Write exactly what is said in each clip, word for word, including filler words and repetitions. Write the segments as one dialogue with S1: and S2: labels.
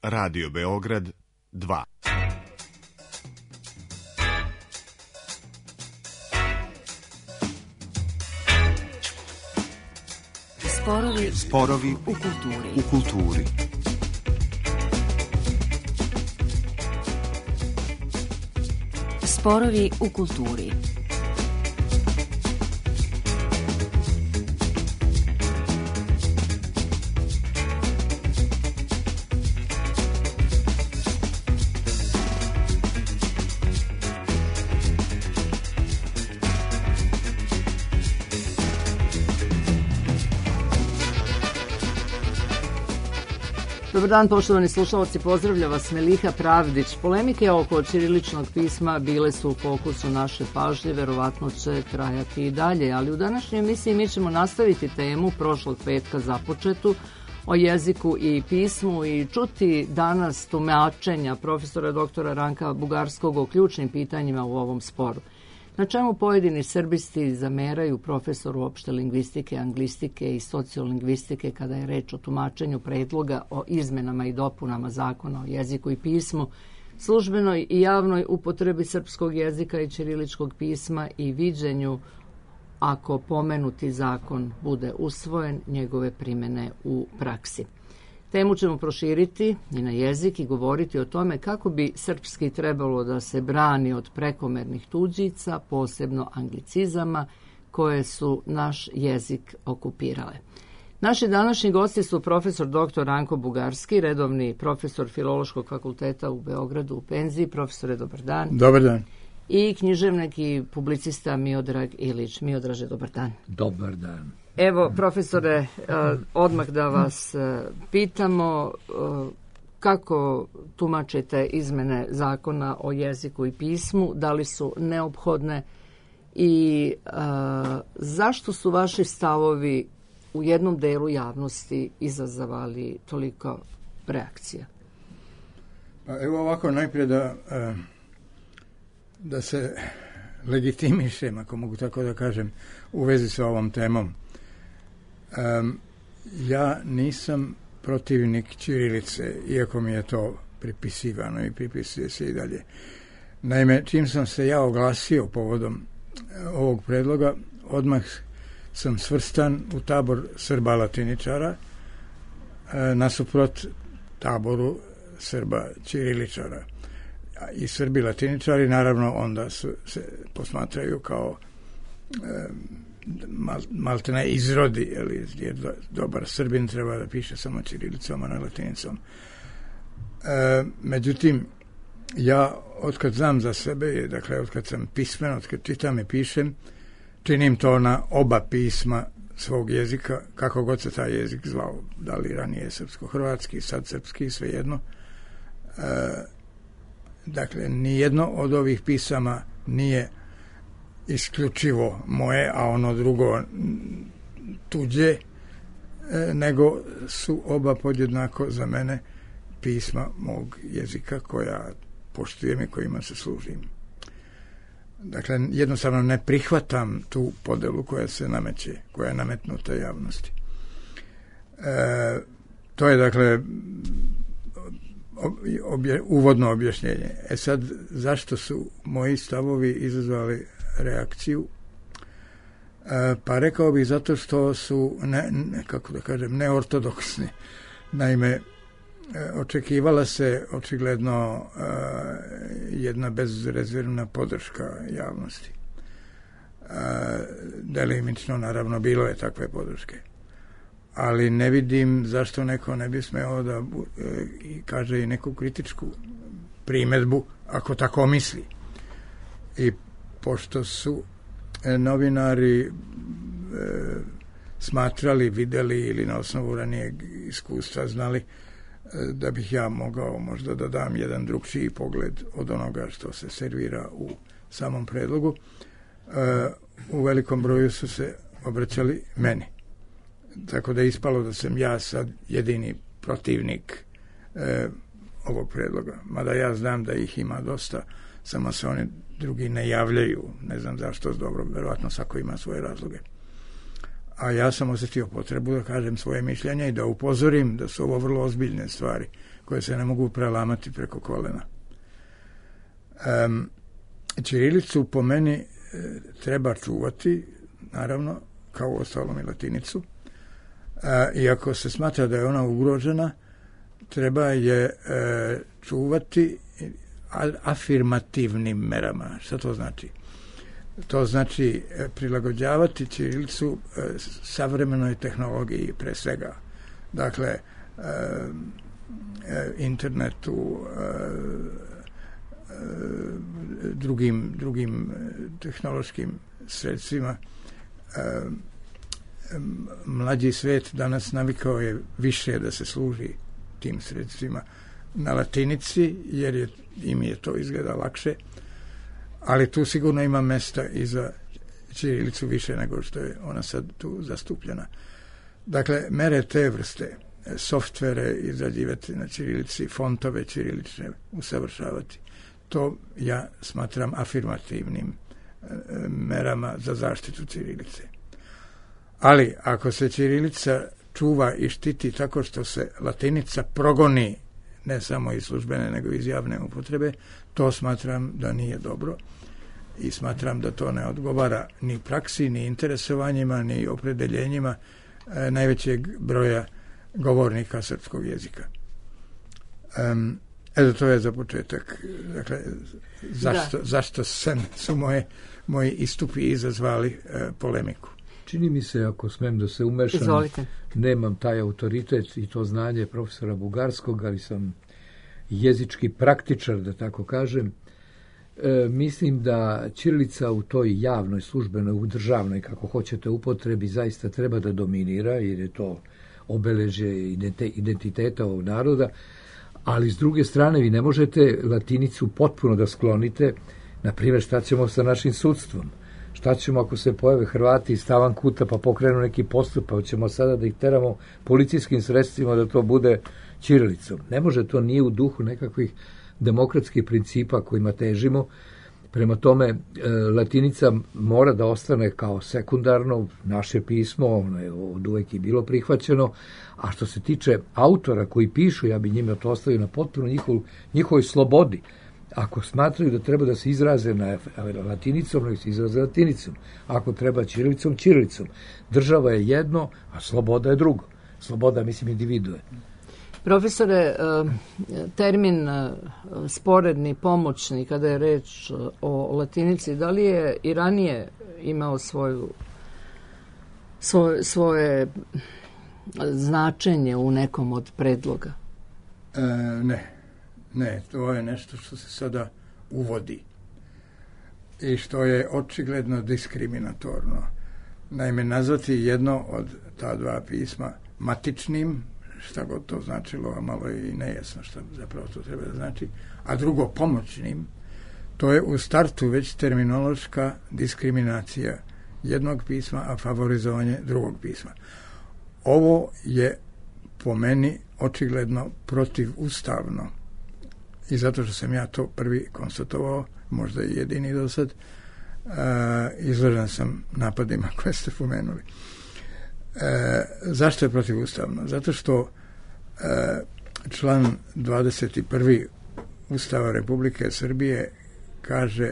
S1: Radio Beograd dva.
S2: Sporovi,
S1: Sporovi
S2: u kulturi.
S1: U kulturi.
S2: Sporovi u kulturi.
S3: Dobar dan, poštovani slušalci, pozdravlja vas Meliha Pravdić. Polemike oko ćiriličnog pisma bile su u fokusu naše pažnje, verovatno će trajati i dalje, ali u današnjoj emisiji mi ćemo nastaviti temu prošlog petka započetu o jeziku i pismu i čuti danas tumačenja profesora doktora Ranka Bugarskog o ključnim pitanjima u ovom sporu. Na čemu pojedini srbisti zameraju profesoru opšte lingvistike, anglistike i sociolingvistike kada je reč o tumačenju predloga o izmenama i dopunama zakona o jeziku i pismu, službenoj i javnoj upotrebi srpskog jezika i ćiriličkog pisma i viđenju, ako pomenuti zakon bude usvojen, njegove primene u praksi. Temu ćemo proširiti i na jezik i govoriti o tome kako bi srpski trebalo da se brani od prekomernih tuđica, posebno anglicizama, koje su naš jezik okupirale. Naši današnji gosti su profesor doktor Ranko Bugarski, redovni profesor Filološkog fakulteta u Beogradu u penziji. Profesore, dobar dan.
S4: Dobar dan.
S3: I književnik i publicista Miodrag Ilić. Miodraže, dobar dan.
S4: Dobar dan.
S3: Evo, profesore, odmah da vas pitamo kako tumačite izmene zakona o jeziku i pismu, da li su neophodne i zašto su vaši stavovi u jednom delu javnosti izazvali toliko reakcija?
S4: Pa evo ovako, najprije da, da se legitimišem, ako mogu tako da kažem, u vezi sa ovom temom. Um, ja nisam protivnik ćirilice, iako mi je to pripisivano i pripisuje se i dalje. Naime, čim sam se ja oglasio povodom ovog predloga, odmah sam svrstan u tabor Srba latiničara, e, nasuprot taboru Srba ćiriličara. I Srbi latiničari naravno onda su, se posmatraju kao e, mal, maltene izrodi, jer dobar Srbin treba da piše samo ćirilicom, a ne latinicom. E, međutim, ja otkad znam za sebe, dakle otkad sam pismen, otkad čitam i pišem, činim to na oba pisma svog jezika, kako god se taj jezik zvao, da li ranije srpsko-hrvatski, sad srpski, svejedno. E, dakle, nijedno od ovih pisama nije isključivo moje, a ono drugo tuđe, nego su oba podjednako za mene pisma mog jezika koja poštujem i kojima se služim. Dakle, jednostavno ne prihvatam tu podelu koja se nameće, koja je nametnuta javnosti. E, to je, dakle, obje, uvodno objašnjenje. E sad, zašto su moji stavovi izazvali reakciju? E, pa rekao bih zato što su ne, ne, kako da kažem, neortodoksni. Naime, e, očekivala se očigledno e, jedna bezrezervna podrška javnosti. E, delimično, naravno, bilo je takve podrške. Ali ne vidim zašto neko ne bi smeo da e, kaže i neku kritičku primedbu, ako tako misli. I pošto su novinari e, smatrali, videli ili na osnovu ranijeg iskustva znali e, da bih ja mogao možda da dam jedan drugčiji pogled od onoga što se servira u samom predlogu, e, u velikom broju su se obraćali meni. Tako da je ispalo da sam ja sad jedini protivnik e, ovog predloga. Mada ja znam da ih ima dosta, samo se oni drugi ne javljaju, ne znam zašto, dobro, verovatno svako ima svoje razloge. A ja sam osjetio potrebu da kažem svoje mišljenje i da upozorim da su ovo vrlo ozbiljne stvari koje se ne mogu prelamati preko kolena. Um, ćirilicu po meni e, treba čuvati, naravno, kao u ostalom i latinicu. E, I ako se smatra da je ona ugrožena, treba je e, čuvati afirmativnim merama. Šta to znači? To znači e, prilagođavati ćirilicu e, savremenoj tehnologiji pre svega. Dakle, e, e, internetu, e, drugim, drugim tehnološkim sredstvima. Mlađi svet danas navikao je više da se služi tim sredstvima na latinici, jer je, im je to izgleda lakše, ali tu sigurno ima mesta i za ćirilicu više nego što je ona sad tu zastupljena. Dakle, mere te vrste, softvere izrađivati na ćirilici, fontove ćirilične usavršavati, to ja smatram afirmativnim e, merama za zaštitu ćirilice. Ali ako se ćirilica čuva i štiti tako što se latinica progoni ne samo iz službene nego iz javne upotrebe, to smatram da nije dobro i smatram da to ne odgovara ni praksi, ni interesovanjima, ni opredeljenjima e, najvećeg broja govornika srpskog jezika. Um, Eto, to je za početak. Dakle, zašto, zašto se, su moje, moji istupi izazvali e, polemiku?
S5: Čini mi se, ako smem da se umešam,
S3: Izvolite.
S5: Nemam taj autoritet i to znanje profesora Bugarskog, ali sam jezički praktičar, da tako kažem. E, mislim da ćirilica u toj javnoj, službenoj, u državnoj, kako hoćete, upotrebi, zaista treba da dominira, jer je to obeležje identiteta ovog naroda. Ali s druge strane vi ne možete latinicu potpuno da sklonite. Na primjer, šta ćemo sa našim sudstvom? Šta ćemo ako se pojave Hrvati iz Tavankuta pa pokrenu neki postupak? Hoćemo sada da ih teramo policijskim sredstvima da to bude ćirilicom? Ne može, to nije u duhu nekakvih demokratskih principa kojima težimo. Prema tome, e, latinica mora da ostane kao sekundarno naše pismo, ono je od uvek i bilo prihvaćeno, a što se tiče autora koji pišu, ja bi njima to ostavio na potpuno njihov, njihovoj slobodi. Ako smatraju da treba da se izraze na latinicom, nek se izraze latinicom. Ako treba ćirilicom, ćirilicom. Država je jedno, a sloboda je drugo. Sloboda, mislim, individue.
S3: Profesore, termin sporedni, pomoćni, kada je reč o latinici, da li je i ranije imao svoju, svoje, svoje značenje u nekom od predloga?
S4: E, ne, ne, to je nešto što se sada uvodi i što je očigledno diskriminatorno. Naime, nazvati jedno od ta dva pisma matičnim, šta god to značilo, a malo je i nejasno šta zapravo to treba da znači, a drugo pomoćnim, to je u startu već terminološka diskriminacija jednog pisma, a favorizovanje drugog pisma. Ovo je po meni očigledno protivustavno i zato što sam ja to prvi konstatovao, možda i jedini do sad, uh, izložen sam napadima koje ste pomenuli. E, zašto je protivustavno? Zato što e, član dvadeset prvi Ustava Republike Srbije kaže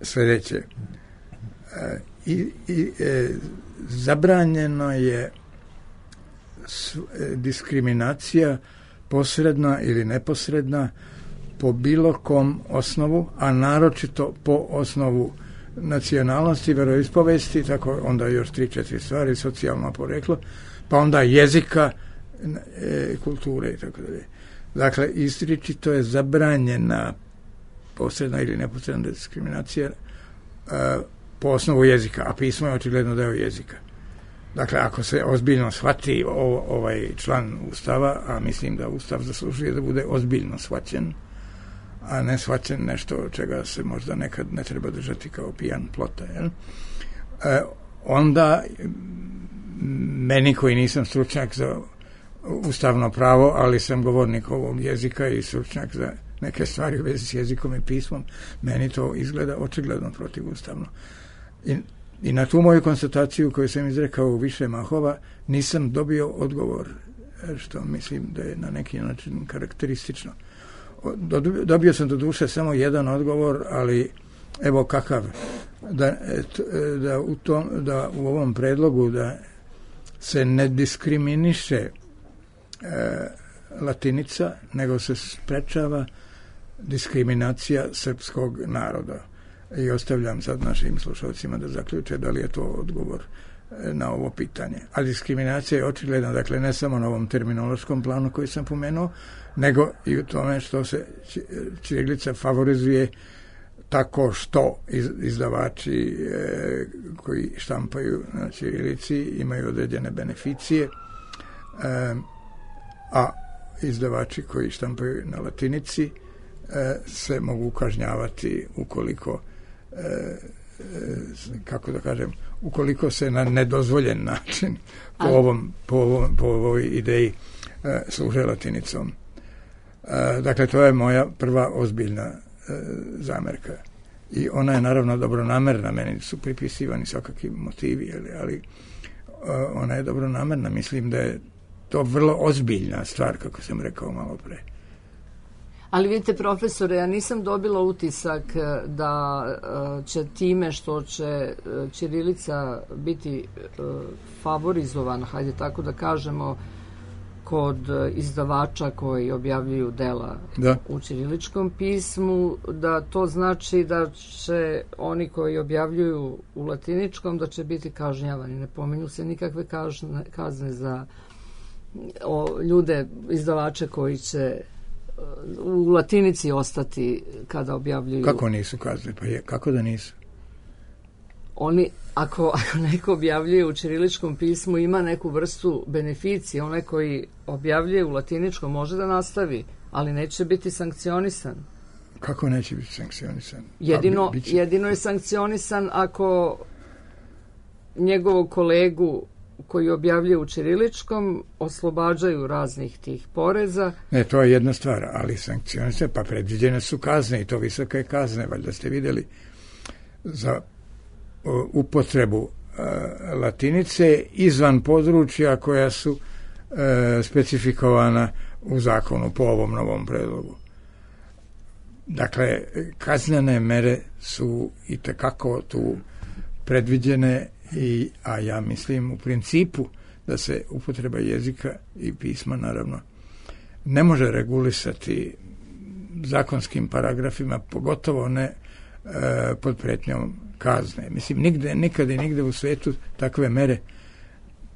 S4: sljedeće. E, i, i, e, zabranjeno je s, e, diskriminacija posredna ili neposredna po bilo kom osnovu, a naročito po osnovu nacionalnosti, veroispovesti, tako onda još tri, četiri stvari, socijalno poreklo, pa onda jezika, e, kulture i tako dalje. Dakle, izričito je zabranjena posredna ili neposredna diskriminacija e, po osnovu jezika, a pismo je očigledno deo jezika. Dakle, ako se ozbiljno shvati o, ovaj član Ustava, a mislim da Ustav zaslužuje da bude ozbiljno shvaćen, a ne shvaćen nešto čega se možda nekad ne treba držati kao pijan plota. Jel? E, onda meni koji nisam stručnjak za ustavno pravo, ali sam govornik ovog jezika i stručnjak za neke stvari u vezi s jezikom i pismom, meni to izgleda očigledno protivustavno. I, i na tu moju konstataciju koju sam izrekao u više mahova nisam dobio odgovor što mislim da je na neki način karakteristično. Dobio sam do duše samo jedan odgovor, ali evo kakav, da, da, u, tom, da u ovom predlogu da se ne diskriminiše e, latinica, nego se sprečava diskriminacija srpskog naroda. I ostavljam sad našim slušalcima da zaključe da li je to odgovor na ovo pitanje. A diskriminacija je očigledna, dakle ne samo na ovom terminološkom planu koji sam pomenuo, nego i u tome što se ćirilica favorizuje tako što izdavači e, koji štampaju na ćirilici imaju određene beneficije, e, a izdavači koji štampaju na latinici e, se mogu kažnjavati ukoliko e, e, kako da kažem, ukoliko se na nedozvoljen način po, ovom, po, ovom, po ovoj ideji e, služe latinicom. E, dakle, to je moja prva ozbiljna e, zamerka. I ona je naravno dobronamerna, meni su pripisivani svakakvi motivi, ali, ali e, ona je dobronamerna. Mislim da je to vrlo ozbiljna stvar, kako sam rekao malo pre.
S3: Ali vidite, profesore, ja nisam dobila utisak da će time što će ćirilica biti favorizovana, hajde tako da kažemo, kod izdavača koji objavljuju dela
S4: da.
S3: u ćiriličkom pismu, da to znači da će oni koji objavljuju u latiničkom da će biti kažnjavani. Ne pominju se nikakve kažne, kazne za o, ljude, izdavače koji će u latinici ostati kada objavljuju.
S4: Kako nisu kazne? Pa je, kako da nisu?
S3: Oni, ako, ako neko objavljuje u ćiriličkom pismu, ima neku vrstu beneficije. Onaj koji objavljuje u latiničkom može da nastavi, ali neće biti sankcionisan.
S4: Kako neće biti sankcionisan?
S3: Jedino, bi, jedino je sankcionisan ako njegovog kolegu koji objavljuje u ćiriličkom oslobađaju raznih tih poreza.
S4: Ne, to je jedna stvar, ali sankcionice, pa predviđene su kazne i to visoke kazne, valjda ste vidjeli, za o, upotrebu e, latinice izvan područja koja su e, specifikovana u zakonu po ovom novom predlogu. Dakle, kaznene mere su i tekako tu predviđene. I, a ja mislim u principu da se upotreba jezika i pisma naravno ne može regulisati zakonskim paragrafima, pogotovo ne e, pod pretnjom kazne. Mislim, nigde, nikada i nigde u svetu takve mere,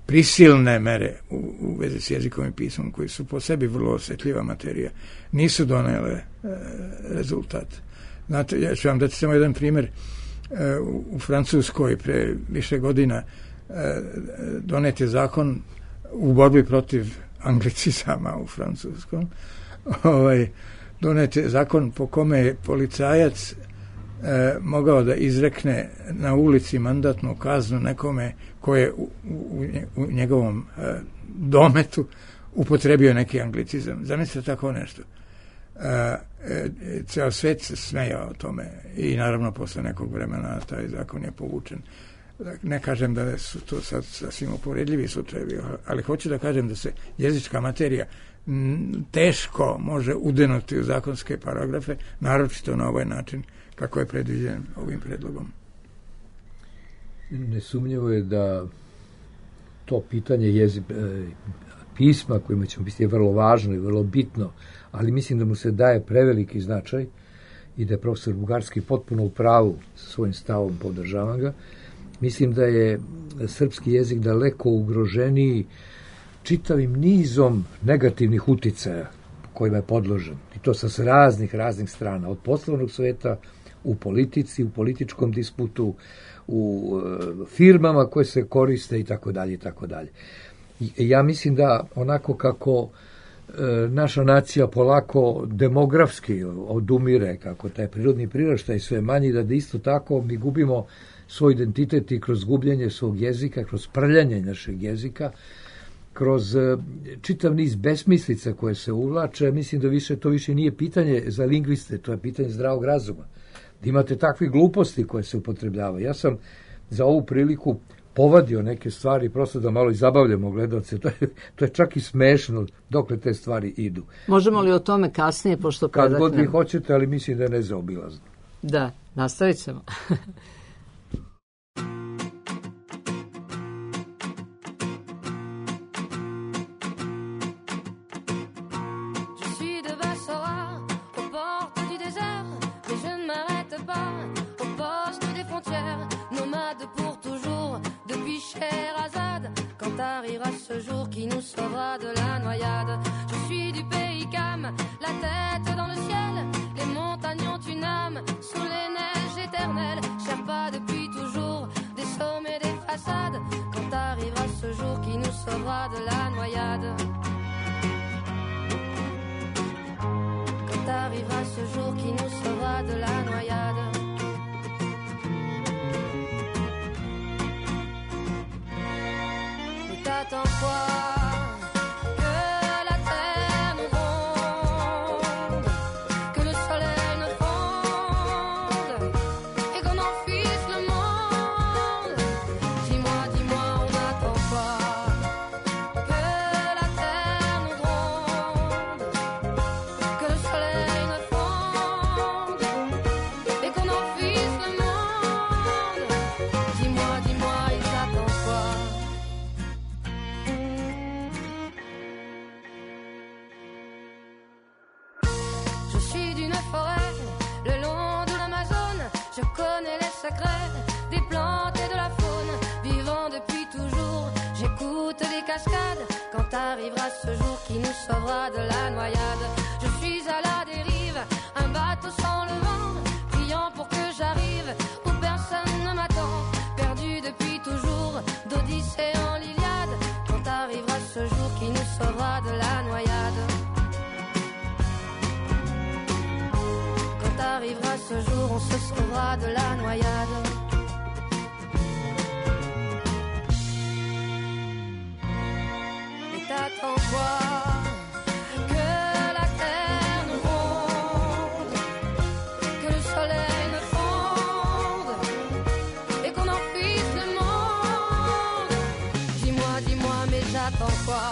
S4: prisilne mere u, u vezi s jezikom i pismom, koji su po sebi vrlo osjetljiva materija, nisu donele e, rezultat. Znate, ja ću vam dati samo jedan primjer. U Francuskoj pre više godina donet je zakon u borbi protiv anglicizama u francuskom. Ovaj, donet je zakon po kome je policajac eh, mogao da izrekne na ulici mandatnu kaznu nekome ko je u, u, u njegovom eh, dometu upotrebio neki anglicizam. Zamislite tako nešto. E, e, ceo svet se smejao o tome i naravno posle nekog vremena taj zakon je povučen. Ne kažem da su to sad sasvim uporedljivi slučajevi, ali hoću da kažem da se jezička materija m, teško može udenuti u zakonske paragrafe, naročito na ovaj način kako je predviđen ovim predlogom.
S5: Nesumnjivo je da to pitanje jezi, pisma kojima ćemo biti je vrlo važno i vrlo bitno, ali mislim da mu se daje preveliki značaj i da je profesor Bugarski potpuno u pravu sa svojim stavom, podržavam ga. Mislim da je srpski jezik daleko ugroženiji čitavim nizom negativnih uticaja kojima je podložen. I to sa raznih, raznih strana. Od poslovnog sveta, u politici, u političkom disputu, u e, firmama koje se koriste i tako dalje i tako dalje. Ja mislim da onako kako e, naša nacija polako demografski odumire, kako taj prirodni priraštaj sve manji, da, da isto tako mi gubimo svoj identitet i kroz gubljenje svog jezika, kroz prljanje našeg jezika, kroz e, čitav niz besmislica koje se uvlače. Mislim da više to više nije pitanje za lingviste, to je pitanje zdravog razuma. Da imate takve gluposti koje se upotrebljavaju. Ja sam za ovu priliku povadio neke stvari, prosto da malo i zabavljamo gledalce. To je, to je čak i smešno dokle te stvari idu.
S3: Možemo li o tome kasnije, pošto
S5: Kad
S3: predaknem?
S5: god vi hoćete, ali mislim da je nezaobilazno.
S3: Da, nastavit ćemo.
S6: Arrivera ce jour qui nous sauvera de la noyade. Je suis du pays Cam, la tête dans le ciel. Les montagnes ont une âme sous les neiges éternelles. Sherpa depuis toujours des sommets, des façades. Quand arrivera ce jour qui nous sauvera de la noyade. Quand arrivera ce jour qui nous sauvera de la noyade. T'attends quoi? Que la terre nous ronde, que le soleil nous fonde et qu'on enfuisse le monde. Dis-moi, dis-moi, on attend quoi? Que la terre nous ronde, que le soleil nous fonde et qu'on enfuisse le monde. Dis-moi, dis-moi, ils attendent quoi? Je connais les secrets des plantes et de la faune. Vivant depuis toujours, j'écoute les cascades. Quand arrivera ce jour qui nous sauvera de la noyade. Je suis à la dérive, un bateau sans le vent, priant pour que j'arrive où personne ne m'attend. Perdu depuis toujours, d'Odyssée en l'Iliade. Quand arrivera ce jour qui nous sauvera de la noyade. Quand arrivera ce jour, on se sauvera de la noyade. Et t'attends quoi? Que la terre nous ronde, que le soleil nous fonde et qu'on enfuisse le monde. Dis-moi, dis-moi, mais j'attends quoi?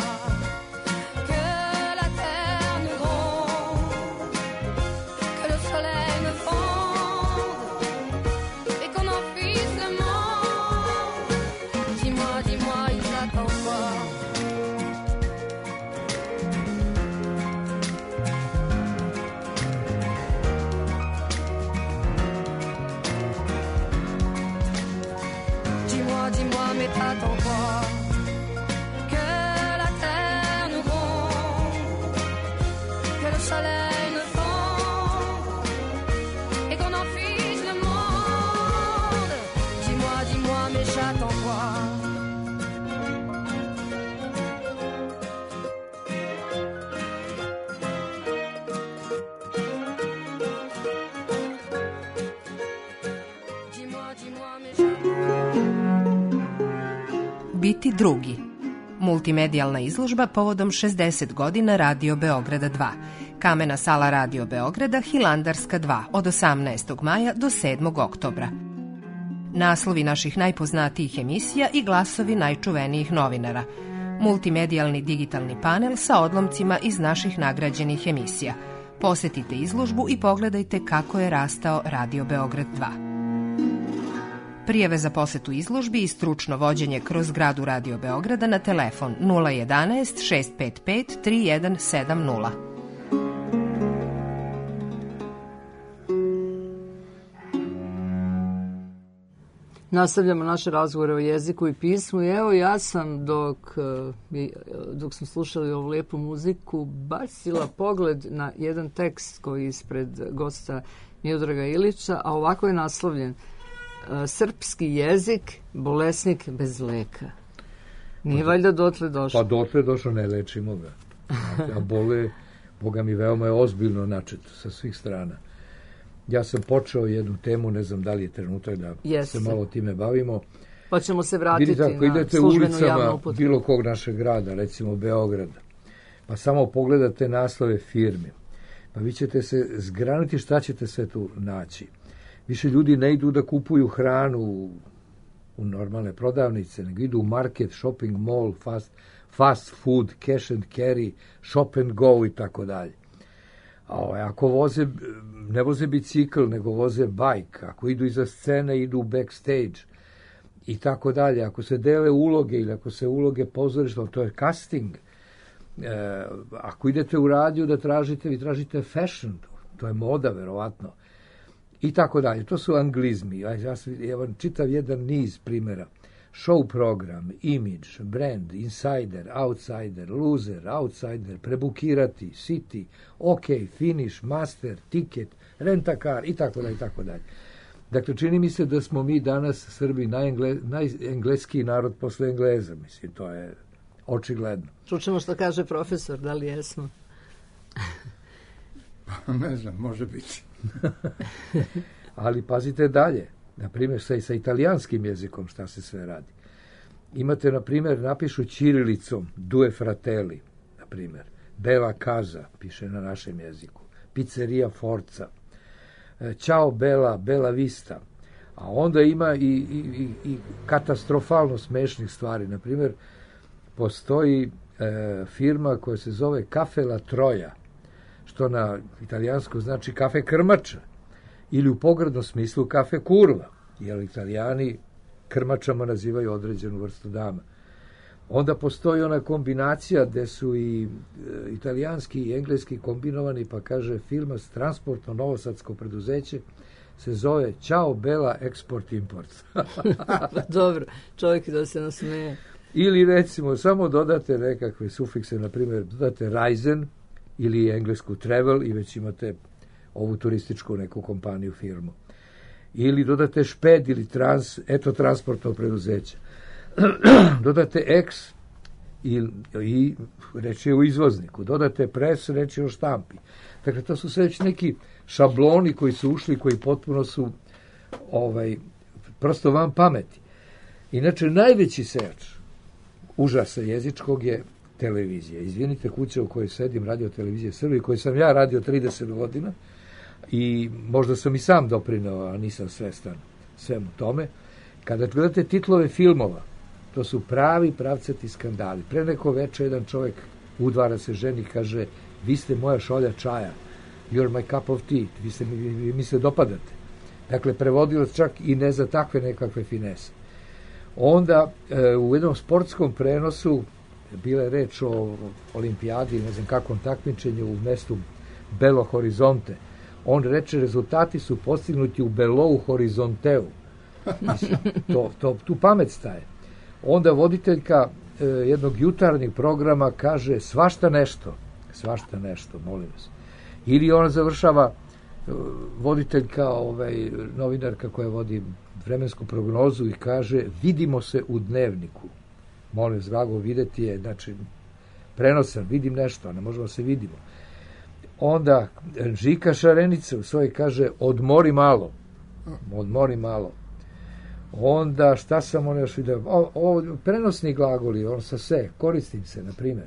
S6: Dis-moi, mais t'attends quoi? Que la terre nous ronde, que le soleil nous fonde et qu'on enfuisse le monde. Dis-moi, dis-moi, mais j'attends quoi? Dis-moi, dis-moi, mais j'attends.
S7: Biti drugi. Multimedijalna izložba povodom šezdeset godina Radio Beograda dva. Kamena sala Radio Beograda, Hilandarska dva, od osamnaestog maja do sedmog oktobra. Naslovi naših najpoznatijih emisija i glasovi najčuvenijih novinara. Multimedijalni digitalni panel sa odlomcima iz naših nagrađenih emisija. Posetite izložbu i pogledajte kako je rastao Radio Beograd dva. Prijave za posetu izložbi i stručno vođenje kroz zgradu Radio Beograda na telefon nula jedanaest šest pet pet tri jedan sedam nula.
S3: Nastavljamo naše razgovore o jeziku i pismu i evo ja sam dok, dok smo slušali ovu lijepu muziku bacila pogled na jedan tekst koji je ispred gosta Miodraga Ilića, a ovako je naslovljen: Srpski jezik, bolesnik bez leka. Nije valjda dotle došlo?
S5: Pa dotle došlo, ne lečimo ga. A bole, Boga mi, veoma je ozbiljno načet sa svih strana. Ja sam počeo jednu temu, ne znam da li je trenutak da Jeste. se malo time bavimo.
S3: Pa ćemo se vratiti
S5: Vidite, ako
S3: na
S5: idete
S3: službenu javnu
S5: ulicama
S3: upotrebu
S5: bilo kog našeg grada, recimo Beograda, pa samo pogledate naslove firmi, pa vi ćete se zgraniti šta ćete sve tu naći. Više ljudi ne idu da kupuju hranu u normalne prodavnice, nego idu u market, shopping mall, fast, fast food, cash and carry, shop and go i tako dalje. A ako voze, ne voze bicikl, nego voze bajk, ako idu iza scene, idu u backstage i tako dalje. Ako se dele uloge ili ako se uloge pozorišta, to je casting. E, ako idete u radiju da tražite, vi tražite fashion, to je moda, verovatno. I tako dalje. To su anglizmi. Ja, ja, ja vam čitav jedan niz primjera. Show program, image, brand, insider, outsider, loser, outsider, prebukirati, city, ok, finish, master, ticket, rent-a-car i tako dalje, i tako dalje. Dakle, čini mi se da smo mi danas Srbi najengle, najengleski narod posle Engleza. Mislim, to je očigledno.
S3: Čućemo što kaže profesor, da li jesmo?
S4: Ne znam, može biti.
S5: Ali pazite dalje. Na primjer, sa, sa italijanskim jezikom šta se sve radi. Imate, na primjer, napišu ćirilicom Due Fratelli, na primjer. Bella Casa, piše na našem jeziku. Pizzeria Forza. Ciao Bella, Bella Vista. A onda ima i, i, i katastrofalno smešnih stvari. Na primjer, postoji e, firma koja se zove Cafe La Troja, što na italijansku znači kafe krmača. Ili u pogrdnom smislu kafe kurva, jer Italijani krmačama nazivaju određenu vrstu dama. Onda postoji ona kombinacija gde su i e, italijanski i engleski kombinovani, pa kaže firma transportno novosadsko preduzeće se zove Ciao Bella Export Import.
S3: Dobro, čovjek da se nasmeje.
S5: Ili recimo samo dodate nekakve sufikse, na primjer dodate Reisen ili englesku travel i već imate ovu turističku neku kompaniju, firmu. Ili dodate šped ili trans, eto transportno preduzeće. Dodate X i, i reč je u izvozniku. Dodate pres, reč je o štampi. Dakle, to su sve već neki šabloni koji su ušli, koji potpuno su ovaj, prosto van pameti. Inače, najveći sejač užasa jezičkog je televizija. Izvinite, kuća u kojoj sedim, Radio Televizije Srbije, koju sam ja radio trideset godina, i možda sam i sam doprineo, a nisam svestan svemu tome. Kada gledate titlove filmova, to su pravi pravcati skandali. Pre neko veče jedan čovjek udvara se ženi, kaže, vi ste moja šolja čaja, you're my cup of tea, vi, ste, vi, vi mi se dopadate. Dakle, prevodilo čak i ne za takve nekakve finese. Onda e, u jednom sportskom prenosu bila je reč o olimpijadi, ne znam kakvom takmičenju u mestu Belo Horizonte. On reče, rezultati su postignuti u Belou Horizonteu. Mislim, to, to, tu pamet staje. Onda voditeljka e, jednog jutarnjeg programa kaže svašta nešto. Svašta nešto, molim vas. Ili ona završava e, voditeljka, ovaj, novinarka koja vodi vremensku prognozu i kaže vidimo se u Dnevniku. Molim vas, drago, videti je, znači, prenosan, vidim nešto, ne možemo se vidimo. Onda Žika Šarenica u svojoj kaže odmori malo. Odmori malo. Onda šta sam on još vidio? O, o, prenosni glagoli, on sa se, koristim se, na primjer.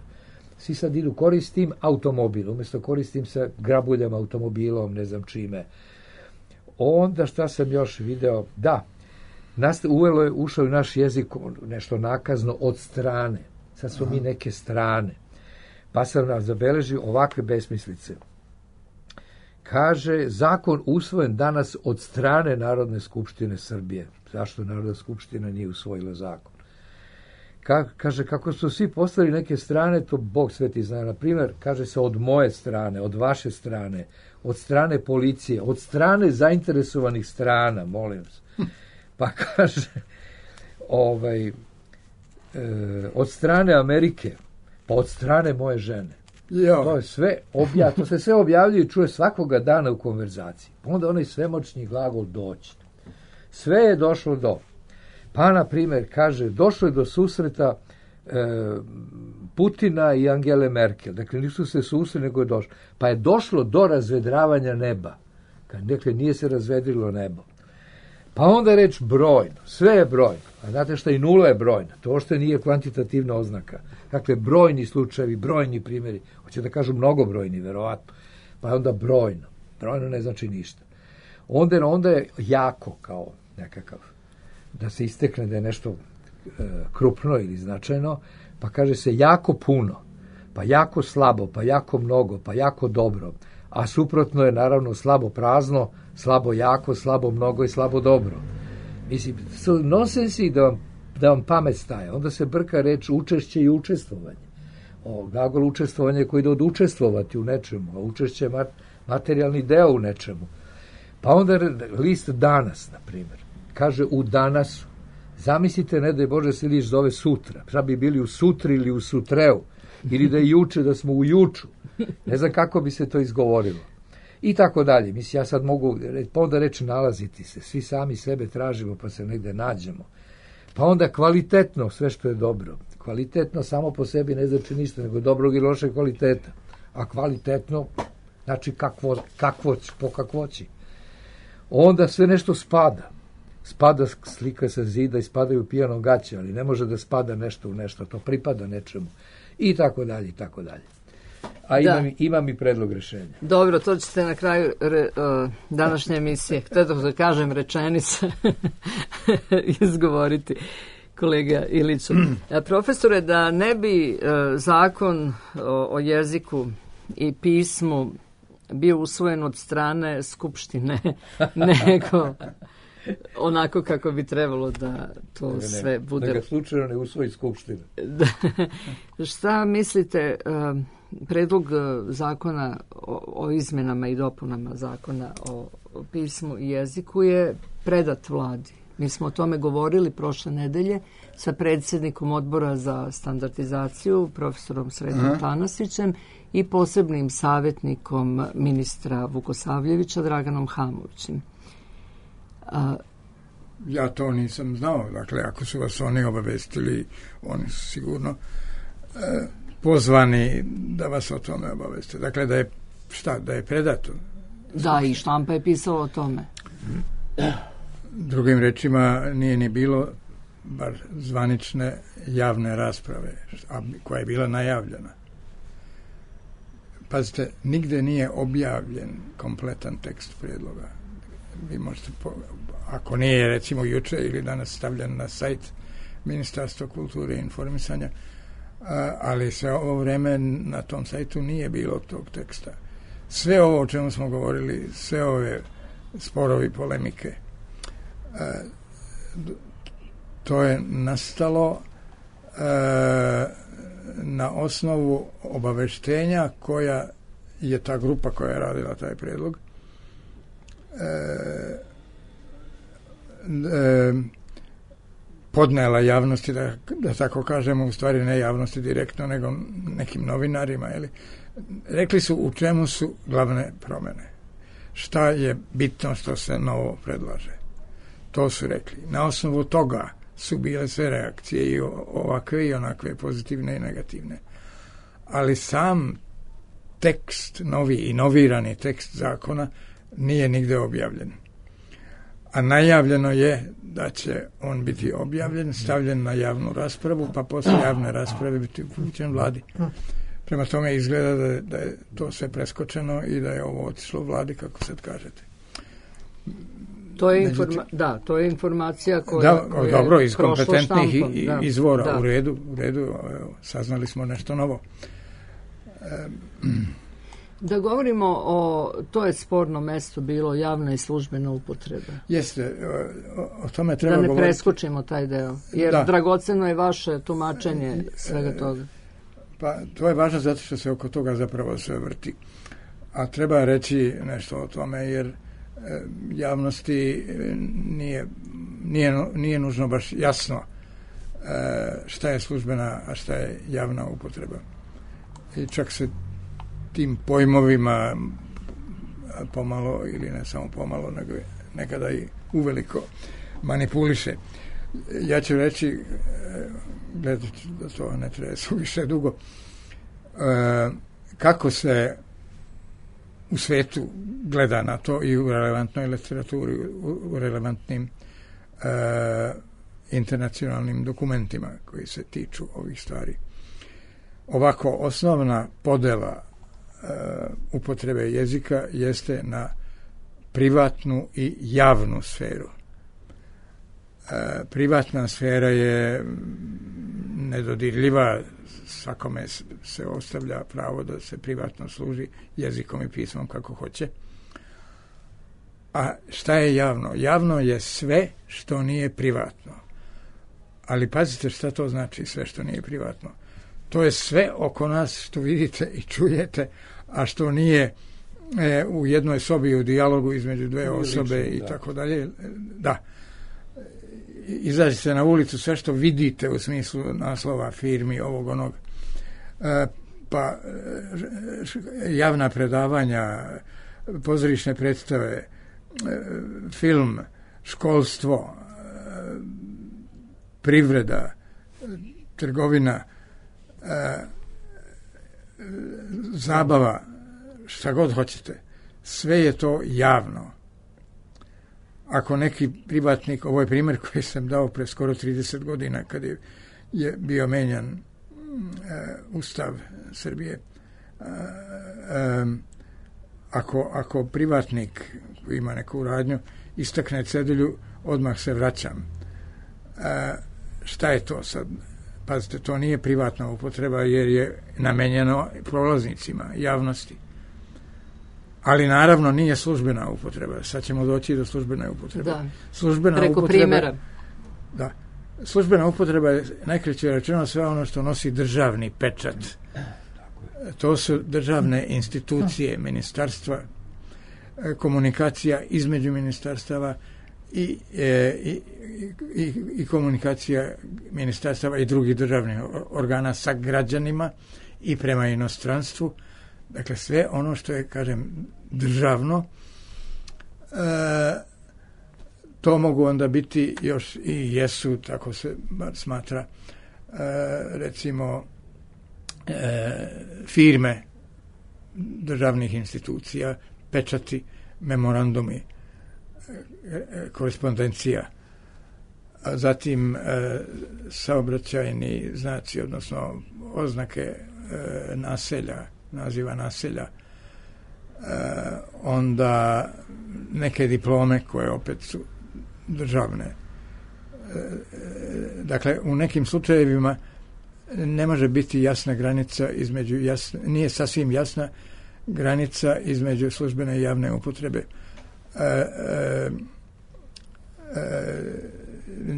S5: Svi sad idu koristim automobil, umjesto koristim se grabuljam automobilom, ne znam čime. Onda šta sam još video? Da, nas, uvelo je, ušao u naš jezik nešto nakazno od strane. Sad smo mi neke strane. Pa sam nam zabeležio ovakve besmislice. Kaže, zakon usvojen danas od strane Narodne skupštine Srbije. Zašto Narodna skupština nije usvojila zakon? Ka, kaže, kako su svi postali neke strane, to Bog sveti zna. Na primjer, kaže se od moje strane, od vaše strane, od strane policije, od strane zainteresovanih strana, molim vas. Pa kaže, ovaj, e, od strane Amerike, pa od strane moje žene.
S4: Jo.
S5: To je sve obja, to se sve objavljuje i čuje svakoga dana u konverzaciji. Onda onaj svemoćni glagol doći. Sve je došlo do. Pa, na primjer, kaže, došlo je do susreta e, Putina i Angele Merkel. Dakle, nisu se susreli, nego je došlo. Pa je došlo do razvedravanja neba. Dakle, nije se razvedrilo nebo. Pa onda reč brojno. Sve je brojno. A znate šta, i nula je brojna. To što nije kvantitativna oznaka. Dakle, brojni slučajevi, brojni primjeri. Hoće da kažu mnogobrojni, verovatno. Pa onda brojno. Brojno ne znači ništa. Onda, onda je jako kao nekakav da se istekne da je nešto e, krupno ili značajno, pa kaže se jako puno, pa jako slabo, pa jako mnogo, pa jako dobro, a suprotno je naravno slabo prazno, slabo jako, slabo mnogo i slabo dobro. Mislim, nosensi da vam, da vam pamet staje, onda se brka reč učešće i učestvovanje. O, glagol učestvovanje koji ide od učestvovati u nečemu, a učešće je materijalni deo u nečemu. Pa onda list danas, na primjer, kaže u danasu. Zamislite, ne daj Bože, se list zove sutra. Šta bi bili u sutri ili u sutreu, ili da je juče, da smo u juču. Ne znam kako bi se to izgovorilo. I tako dalje. Mislim, ja sad mogu, pa onda reći nalaziti se. Svi sami sebe tražimo, pa se negde nađemo. Pa onda kvalitetno, sve što je dobro. Kvalitetno samo po sebi ne znači ništa, nego dobrog i lošeg kvaliteta. A kvalitetno, znači kakvo, kakvo, po kakvoći. Onda sve nešto spada. Spada slika sa zida i spadaju pijano gaće, ali ne može da spada nešto u nešto, to pripada nečemu. I tako dalje, i tako dalje. A imam, imam i predlog rešenja.
S3: Dobro, to ćete na kraju re, uh, današnje emisije, htio da kažem rečenice, izgovoriti, kolega Iliću. Profesore, da ne bi uh, zakon o, o jeziku i pismu bio usvojen od strane Skupštine, nego onako kako bi trebalo da to
S5: ne, ne,
S3: sve bude.
S5: Da ga slučajno ne usvoji Skupština.
S3: Da. Šta mislite, uh, predlog zakona o, o izmenama i dopunama zakona o, o pismu i jeziku je predat vladi. Mi smo o tome govorili prošle nedelje sa predsjednikom odbora za standardizaciju, profesorom Sretom Tanasićem i posebnim savjetnikom ministra Vukosavljevića, Draganom Hamovićem. A,
S4: ja to nisam znao. Dakle, ako su vas oni obavestili, oni su sigurno e, pozvani da vas o tome obaveste. Dakle, da je, šta, da je predato.
S3: Da, i štampa je pisala o tome.
S4: Drugim rečima, nije ni bilo bar zvanične javne rasprave, a koja je bila najavljena. Pazite, nigde nije objavljen kompletan tekst prijedloga. Vi možete, po, ako nije recimo juče ili danas stavljen na sajt Ministarstva kulture i informisanja, a, ali sve ovo vreme na tom sajtu nije bilo tog teksta. Sve ovo o čemu smo govorili, sve ove sporovi, polemike, a, to je nastalo a, na osnovu obaveštenja koja je ta grupa koja je radila taj prijedlog e, e, podnela javnosti, da, da tako kažemo, u stvari ne javnosti direktno, nego nekim novinarima. Jeli? Rekli su u čemu su glavne promjene. Šta je bitno što se novo predlaže. To su rekli. Na osnovu toga su bile sve reakcije, i ovakve i onakve, pozitivne i negativne. Ali sam tekst, novi i novirani tekst zakona nije nigde objavljen. A najavljeno je da će on biti objavljen, stavljen na javnu raspravu, pa posle javne rasprave biti upućen vladi. Prema tome izgleda da je, da je to sve preskočeno i da je ovo otišlo vladi, kako sad kažete.
S3: To je, informa- da, to je informacija koja,
S4: da,
S3: koja
S4: dobro,
S3: je
S4: iz kompetentnih
S3: štampom,
S4: i,
S3: da,
S4: izvora,
S3: da.
S4: u redu, u redu, evo, saznali smo nešto novo. E,
S3: Da govorimo o, to je sporno mesto bilo, javna i službena upotreba.
S4: Jeste, o, o tome treba
S3: govoriti. Da ne
S4: govoriti.
S3: preskočimo taj deo, jer da. Dragoceno je vaše tumačenje svega toga.
S4: Pa to je važno zato što se oko toga zapravo sve vrti. A treba reći nešto o tome, jer javnosti nije, nije, nije nužno baš jasno šta je službena, a šta je javna upotreba. I čak se tim pojmovima pomalo, ili ne samo pomalo, nego nekada i uveliko manipuliše. Ja ću reći, gledajte da to ne treba suviše dugo, kako se u svetu gleda na to i u relevantnoj literaturi, u, u relevantnim e, internacionalnim dokumentima koji se tiču ovih stvari. Ovako, osnovna podela e, upotrebe jezika jeste na privatnu i javnu sferu. privatna sfera je nedodirljiva, svakome se ostavlja pravo da se privatno služi jezikom i pismom kako hoće. A šta je javno? Javno je sve što nije privatno. Ali pazite šta to znači sve što nije privatno. To je sve oko nas što vidite i čujete, a što nije e, u jednoj sobi u dijalogu između dve osobe lično, i da. Tako dalje. Da. Izađite na ulicu, sve što vidite u smislu naslova firmi, ovog onog, e, pa e, javna predavanja, pozorišne predstave, e, film, školstvo, e, privreda, trgovina, e, zabava, šta god hoćete, sve je to javno. Ako neki privatnik, ovo je primjer koji sam dao pre skoro trideset godina kad je, je bio menjan e, Ustav Srbije, e, e, ako, ako privatnik koji ima neku radnju istakne cedulju, odmah se vraćam. E, šta je to sad? Pazite, to nije privatna upotreba jer je namenjeno prolaznicima, javnosti. Ali naravno nije službena upotreba. Sad ćemo doći do službene upotrebe.
S3: Da.
S4: Službena
S3: Preko
S4: upotreba,
S3: primjera.
S4: Da. Službena upotreba je najkraće rečeno sve ono što nosi državni pečat. To su državne institucije, ministarstva, komunikacija između ministarstava i, e, i, i, i komunikacija ministarstava i drugih državnih organa sa građanima i prema inostranstvu. Dakle, sve ono što je, kažem, državno, e, to mogu onda biti još i jesu, tako se bar smatra, e, recimo, e, firme državnih institucija, pečati, memorandumi, e, korespondencija, a zatim e, saobraćajni znaci, odnosno oznake e, naselja, naziva naselja, e, onda neke diplome koje opet su državne. E, dakle, u nekim slučajevima ne može biti jasna granica između, jasna, nije sasvim jasna granica između službene i javne upotrebe. E, e,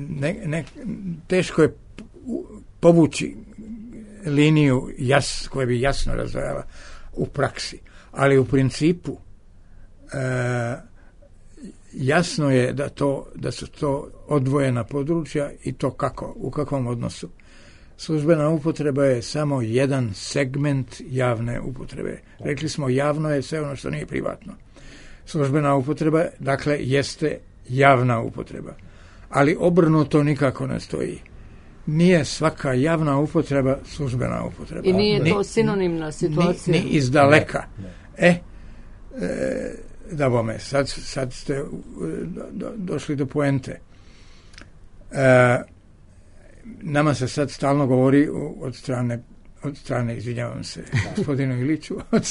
S4: ne, ne, teško je povući liniju jas, koja bi jasno razdvajala u praksi, ali u principu e, jasno je da, to, da su to odvojena područja i to kako, u kakvom odnosu. Službena upotreba je samo jedan segment javne upotrebe. Rekli smo, javno je sve ono što nije privatno. Službena upotreba, dakle, jeste javna upotreba. Ali obrnuto nikako ne stoji. Nije svaka javna upotreba službena upotreba.
S3: I nije
S4: ni,
S3: to sinonimna situacija?
S4: Ni, ni iz daleka. Ne, ne. E, e, da bome, sad, sad ste do, do, došli do poente. E, nama se sad stalno govori od strane, od strane, izvinjavam se, gospodinu Iliću, od,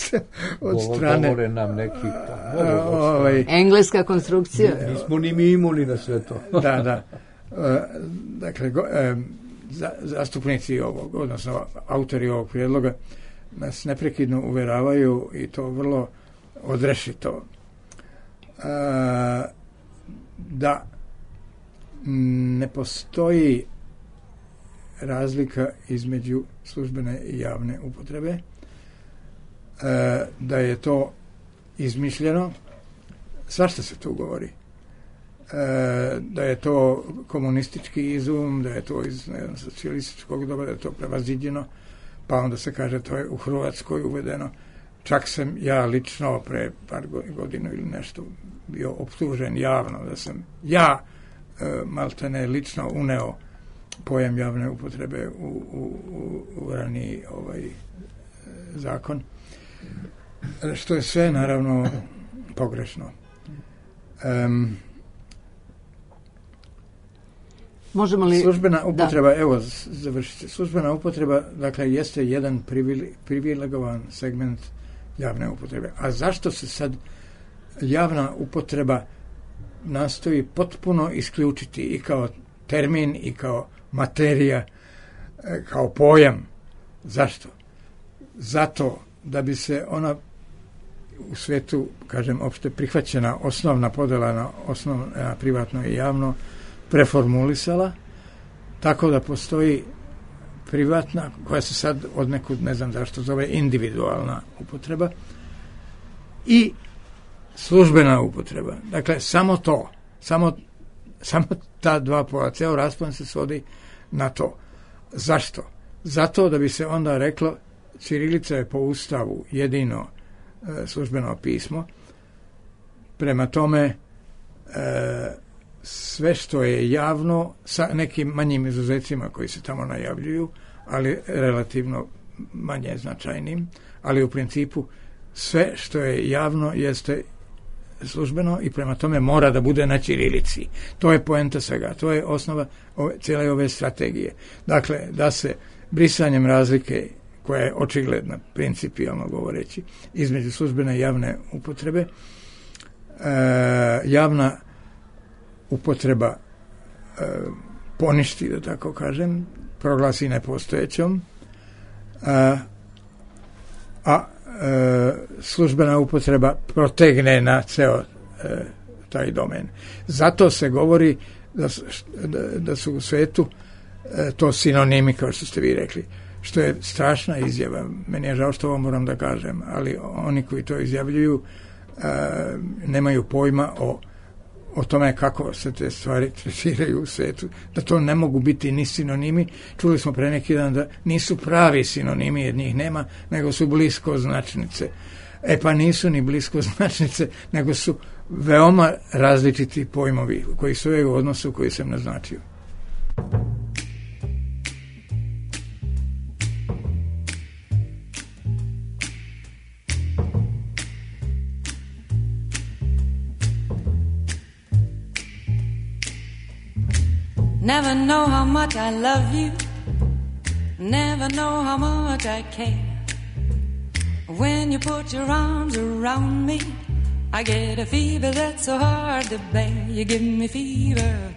S4: od strane...
S5: Govore nam neki...
S4: A, ovaj,
S3: engleska konstrukcija.
S5: Nismo ni mi imuni na sve to.
S4: Da, da. E, dakle, go, e, za, zastupnici ovog, odnosno autori ovog prijedloga nas neprekidno uveravaju i to vrlo odrešito e, da ne postoji razlika između službene i javne upotrebe, e, da je to izmišljeno, svašta se tu govori. E, da je to komunistički izum, da je to iz ne znam, socijalističkog doba, da je to prevaziđeno, pa onda se kaže to je u Hrvatskoj uvedeno. Čak sam ja lično pre par godina ili nešto bio optužen javno da sam ja e, maltene lično uneo pojam javne upotrebe u, u, u, u raniji ovaj e, zakon. Što je sve naravno pogrešno. Um,
S3: Možemo li...
S4: Službena upotreba, da. Evo, završite. Službena upotreba, dakle, jeste jedan privilegovan segment javne upotrebe. A zašto se sad javna upotreba nastoji potpuno isključiti i kao termin i kao materija, kao pojam. Zašto? Zato da bi se ona u svetu, kažem, opšte prihvaćena osnovna podela na osnovno, na privatno i javno preformulisala, tako da postoji privatna, koja se sad od nekud, ne znam zašto zove, individualna upotreba i službena upotreba. Dakle, samo to, samo, samo ta dva pola, ceo raspon se svodi na to. Zašto? Zato da bi se onda reklo, ćirilica je po Ustavu jedino e, službeno pismo, prema tome e, sve što je javno, sa nekim manjim izuzecima koji se tamo najavljuju, ali relativno manje značajnim, ali u principu sve što je javno jeste službeno i prema tome mora da bude na ćirilici. To je poenta svega, to je osnova ove, cijele ove strategije. Dakle, da se brisanjem razlike, koja je očigledna, principijalno govoreći, između službene i javne upotrebe, e, javna upotreba e, poništi, da tako kažem, proglasi nepostojećom, a, a e, službena upotreba protegne na ceo e, taj domen. Zato se govori da, da, da su u svetu e, to sinonimi, kao što ste vi rekli, što je strašna izjava. Meni je žao što ovo moram da kažem, ali oni koji to izjavljuju e, nemaju pojma o o tome kako se te stvari tretiraju u svetu, da to ne mogu biti ni sinonimi. Čuli smo pre neki dan da nisu pravi sinonimi, jer njih nema, nego su blisko značnice. E pa nisu ni blisko značnice, nego su veoma različiti pojmovi koji su u odnosu koji sam naznačio.
S8: Never know how much I love you, never know how much I care. When you put your arms around me, I get a fever that's so hard to bear. You give me fever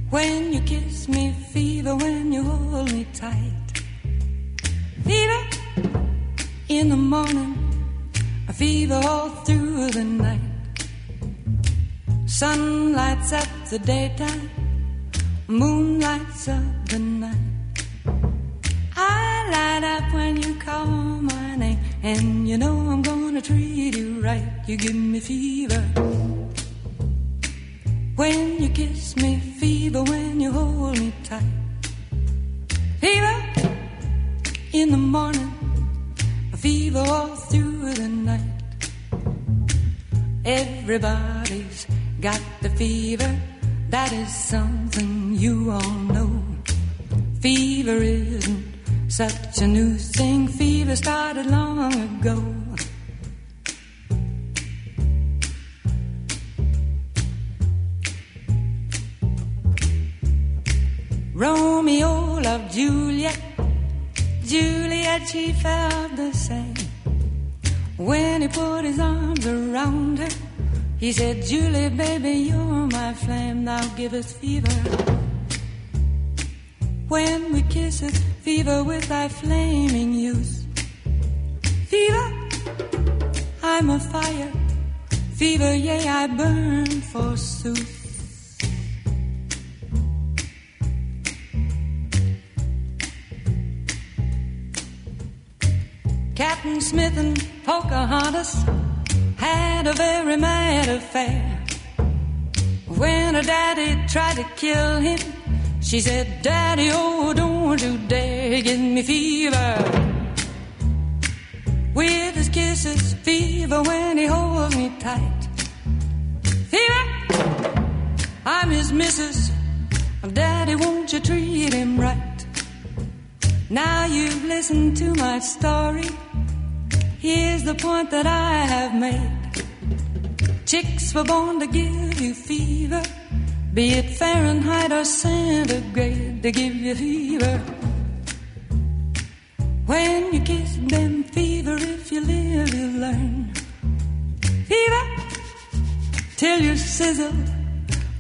S8: when you kiss me, fever when you hold me tight. Fever in the morning, a fever all through the night. Sun lights up the daytime, moon lights up the night. I light up when you call my name, and you know I'm gonna treat you right. You give me fever when you kiss me, fever when you hold me tight. Fever in the morning, a fever all through the night. Everybody's got the fever, that is something you all know. Fever isn't such a new thing, fever started long ago. Romeo loved Juliet, Juliet she felt the same. When he put his arms around her, he said, Julie, baby, you're my flame, now give us fever. When we kiss it, fever with thy flaming youth. Fever, I'm a fire, fever, yea, I burn forsooth. Captain Smith and Pocahontas had a very mad affair. When her daddy tried to kill him, she said, Daddy, oh, don't you dare give me fever. With his kisses, fever when he holds me tight. Fever, I'm his missus, Daddy, won't you treat him right? Now you've listened to my story, here's the point that I have made. Chicks were born to give you fever, be it Fahrenheit or centigrade, to give you fever. When you kiss them, fever, if you live, you learn. Fever, till you sizzle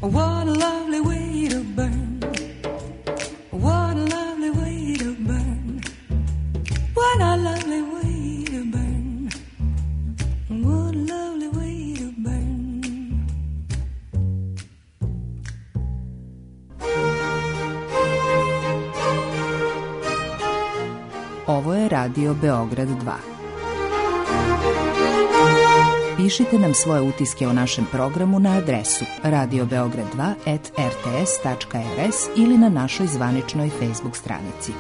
S8: What a lovely way to burn. What a lovely way to burn. What a lovely way to burn. What a lovely way to burn.
S2: Ovo je Radio Beograd dva. Pišite nam svoje utiske o našem programu na adresu radio beograd dva at r t s tačka r s ili na našoj zvaničnoj Facebook stranici.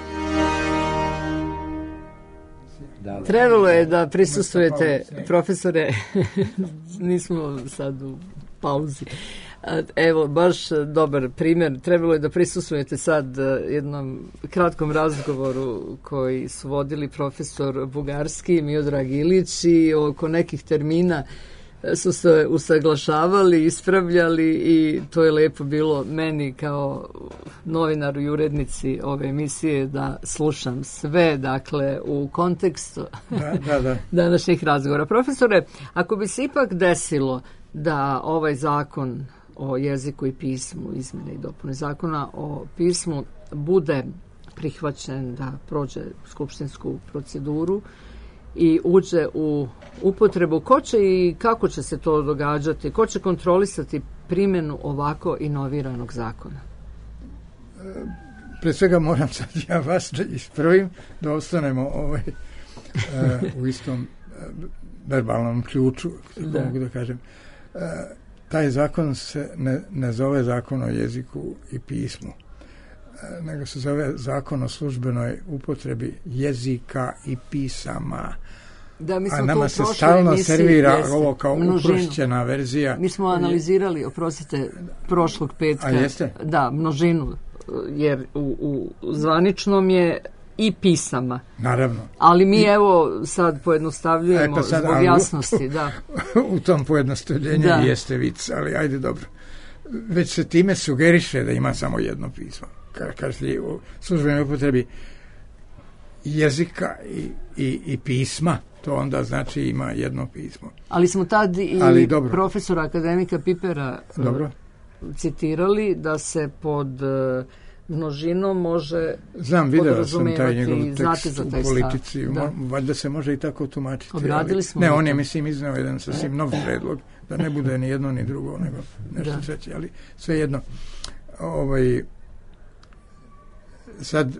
S3: Trebalo je da prisustvujete, profesore, nismo sad u pauzi. Evo, baš dobar primjer. Trebalo je da prisustvujete sad jednom kratkom razgovoru koji su vodili profesor Bugarski i Miodrag Ilić i oko nekih termina su se usaglašavali, ispravljali i to je lepo bilo meni kao novinaru i urednici ove emisije da slušam sve, dakle, u kontekstu
S4: da, da, da.
S3: današnjih razgovora. Profesore, ako bi se ipak desilo da ovaj zakon o jeziku i pismu, izmjene i dopune zakona o pismu, bude prihvaćen da prođe skupštinsku proceduru i uđe u upotrebu, ko će i kako će se to događati, ko će kontrolisati primjenu ovako inoviranog zakona?
S4: Pre svega moram sad ja vas da ispravim, da ostanemo ovaj, uh, u istom uh, verbalnom ključu, tako da. mogu da kažem. Uh, taj zakon se ne, ne zove zakon o jeziku i pismu, uh, nego se zove zakon o službenoj upotrebi jezika i pisama.
S3: Da, mi smo
S4: a nama se
S3: prošle
S4: stalno
S3: emisiji,
S4: servira
S3: jeste,
S4: ovo kao
S3: množinu.
S4: uprošćena verzija.
S3: Mi smo analizirali, oprostite, prošlog petka.
S4: A jeste?
S3: Da, množinu, jer u, u zvaničnom je i pisama.
S4: Naravno.
S3: Ali mi
S4: I,
S3: evo sad pojednostavljujemo e, pa sad, zbog jasnosti. Da.
S4: U tom pojednostavljenju da. jeste vic, ali ajde dobro. Već se time sugeriše da ima samo jedno pismo. Ka, kažete u službenoj upotrebi jezika i, i, i pisma, to onda znači ima jedno pismo.
S3: Ali smo tad i ali, profesora akademika Pipera dobro. citirali da se pod množinom može
S4: Znam, video sam taj njegov
S3: tekst za taj
S4: u politici. Da. Valjda se može i tako tumačiti.
S3: Obradili smo.
S4: Ne, on je, mislim, iznao jedan sasvim nov predlog, da ne bude ni jedno ni drugo, nego nešto da. treće, ali sve jedno. Ovaj, sad,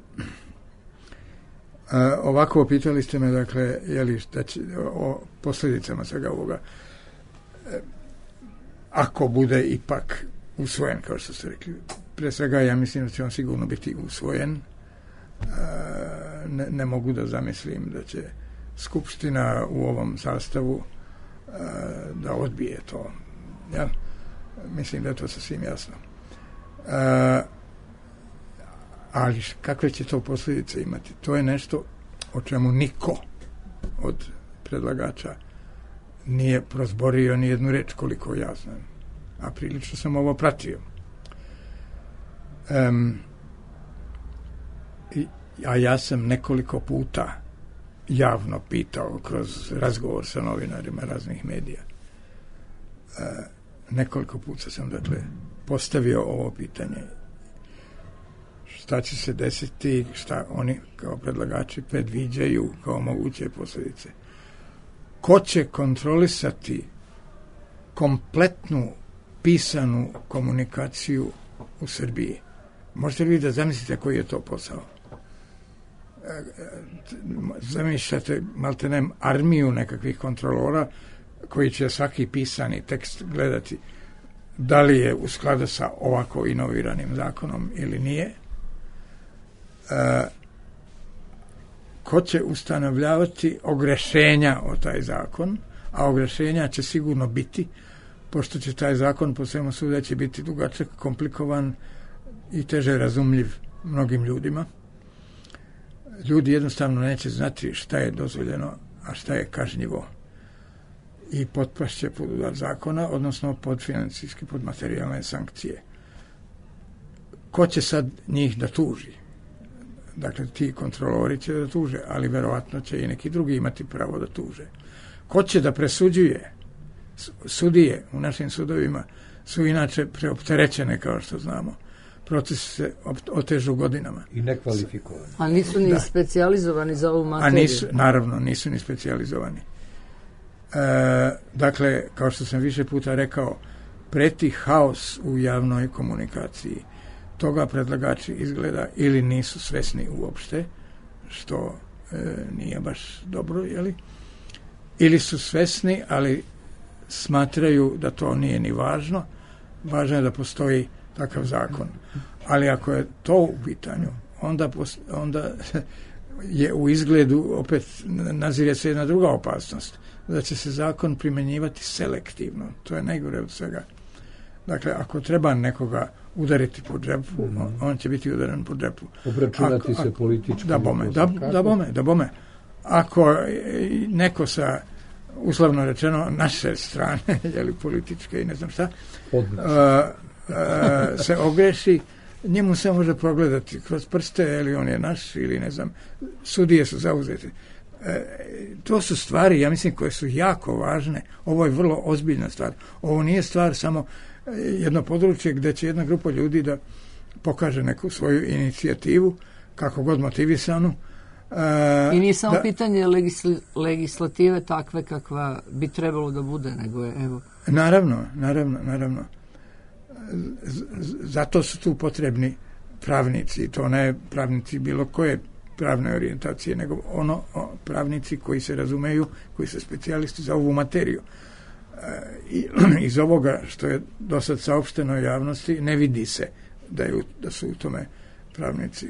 S4: a, ovako pitali ste me, dakle, jeli, šta će, o posljedicama svega ovoga. E, ako bude ipak usvojen, kao što ste rekli, pre svega ja mislim da će on sigurno biti usvojen. Ne, ne mogu da zamislim da će Skupština u ovom sastavu da odbije to. Ja? Mislim da je to sasvim jasno. Ali kakve će to posljedice imati? To je nešto o čemu niko od predlagača nije prozborio ni jednu reč, koliko ja znam. A prilično sam ovo pratio. Um, i, a ja sam nekoliko puta javno pitao kroz razgovor sa novinarima raznih medija. Uh, nekoliko puta sam, dakle, postavio ovo pitanje. Šta će se desiti, šta oni kao predlagači predviđaju kao moguće posljedice. Ko će kontrolisati kompletnu pisanu komunikaciju u Srbiji? Možete li vi da zamislite koji je to posao? Zamišljate maltenem armiju nekakvih kontrolora koji će svaki pisani tekst gledati da li je u skladu sa ovako inoviranim zakonom ili nije. E, ko će ustanovljavati ogrešenja o taj zakon, a ogrešenja će sigurno biti, pošto će taj zakon po svemu sudeći biti dugačak, komplikovan i teže razumljiv mnogim ljudima. Ljudi jednostavno neće znati šta je dozvoljeno, a šta je kažnjivo. I potpašće pod udar zakona, odnosno pod financijske, pod materijalne sankcije. Ko će sad njih da tuži? Dakle, ti kontrolori će da tuže, ali verovatno će i neki drugi imati pravo da tuže. Ko će da presuđuje? Sudije u našim sudovima su inače preopterećene, kao što znamo. Proces se otežu godinama.
S5: I nekvalifikovani.
S3: A nisu ni
S4: da.
S3: specijalizovani za ovu materiju?
S4: A nisu, naravno, nisu ni specijalizovani. E, dakle, kao što sam više puta rekao, preti haos u javnoj komunikaciji. Toga predlagači izgleda ili nisu svesni uopšte, što e, nije baš dobro, jeli? Ili su svesni, ali smatraju da to nije ni važno. Važno je da postoji takav zakon. Ali ako je to u pitanju, onda, onda je u izgledu opet nazire se jedna druga opasnost, da će se zakon primjenjivati selektivno. To je najgore od svega. Dakle, ako treba nekoga udariti po džepu, mm. on će biti udaren po džepu.
S5: Obračunati ako, se ako, politički.
S4: Da bome, da, da bome, da bome. Ako neko sa, uslovno rečeno, naše strane, jeli političke i ne znam šta, uh, uh, se ogreši, njemu se može progledati kroz prste, ili on je naš, ili ne znam, sudije su zauzete. E, to su stvari, ja mislim, koje su jako važne. Ovo je vrlo ozbiljna stvar. Ovo nije stvar samo jedno područje gdje će jedna grupa ljudi da pokaže neku svoju inicijativu, kako god motivisanu. E,
S3: I nije samo
S4: da,
S3: pitanje legisl- legislative takve kakva bi trebalo da bude, nego je, evo.
S4: Naravno, naravno, naravno. Z, zato su tu potrebni pravnici, to ne pravnici bilo koje pravne orijentacije, nego ono o, pravnici koji se razumeju, koji su specijalisti za ovu materiju. E, i, iz ovoga što je do sad saopšteno javnosti ne vidi se da, je, da su u tome pravnici